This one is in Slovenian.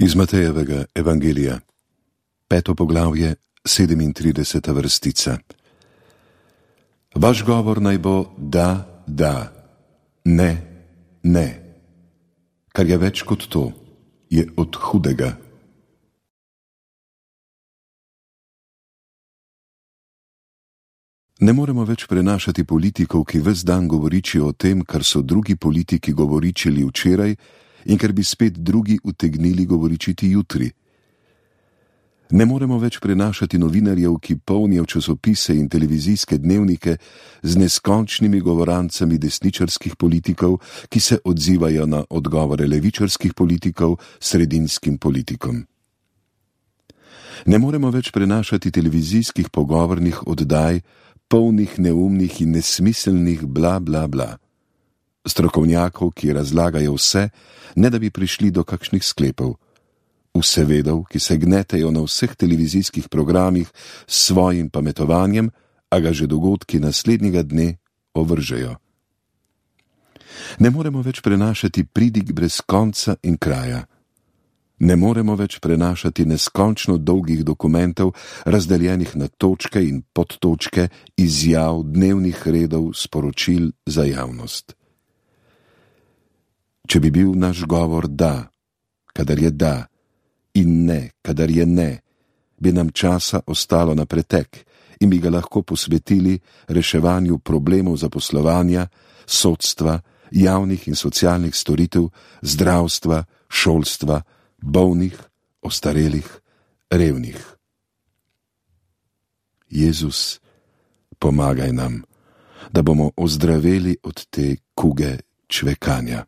Iz Matejevega evangelija, 5. poglavje, 37. vrstica. Vaš govor naj bo da, da, ne, ne. Kar je več kot to, je od hudega. Ne moremo več prenašati politikov, ki ves dan govoričijo o tem, kar so drugi politiki govoričili včeraj in kar bi spet drugi utegnili govoričiti jutri. Ne moremo več prenašati novinarjev, ki polnijo časopise in televizijske dnevnike z neskončnimi govorancami desničarskih politikov, ki se odzivajo na odgovore levičarskih politikov sredinskim politikom. Ne moremo več prenašati televizijskih pogovornih oddaj, polnih neumnih in nesmiselnih bla bla bla. Strokovnjakov, ki razlagajo vse, ne da bi prišli do kakšnih sklepov. Vsevedov, ki se gnetejo na vseh televizijskih programih s svojim pametovanjem, a ga že dogodki naslednjega dne ovržejo. Ne moremo več prenašati pridig brez konca in kraja. Ne moremo več prenašati neskončno dolgih dokumentov, razdeljenih na točke in podtočke, izjav, dnevnih redov, sporočil za javnost. Če bi bil naš govor da, kadar je da, in ne, kadar je ne, bi nam časa ostalo na pretek in bi ga lahko posvetili reševanju problemov zaposlovanja, sodstva, javnih in socialnih storitev, zdravstva, šolstva, bolnih, ostarelih, revnih. Jezus, pomagaj nam, da bomo ozdraveli od te kuge čvekanja.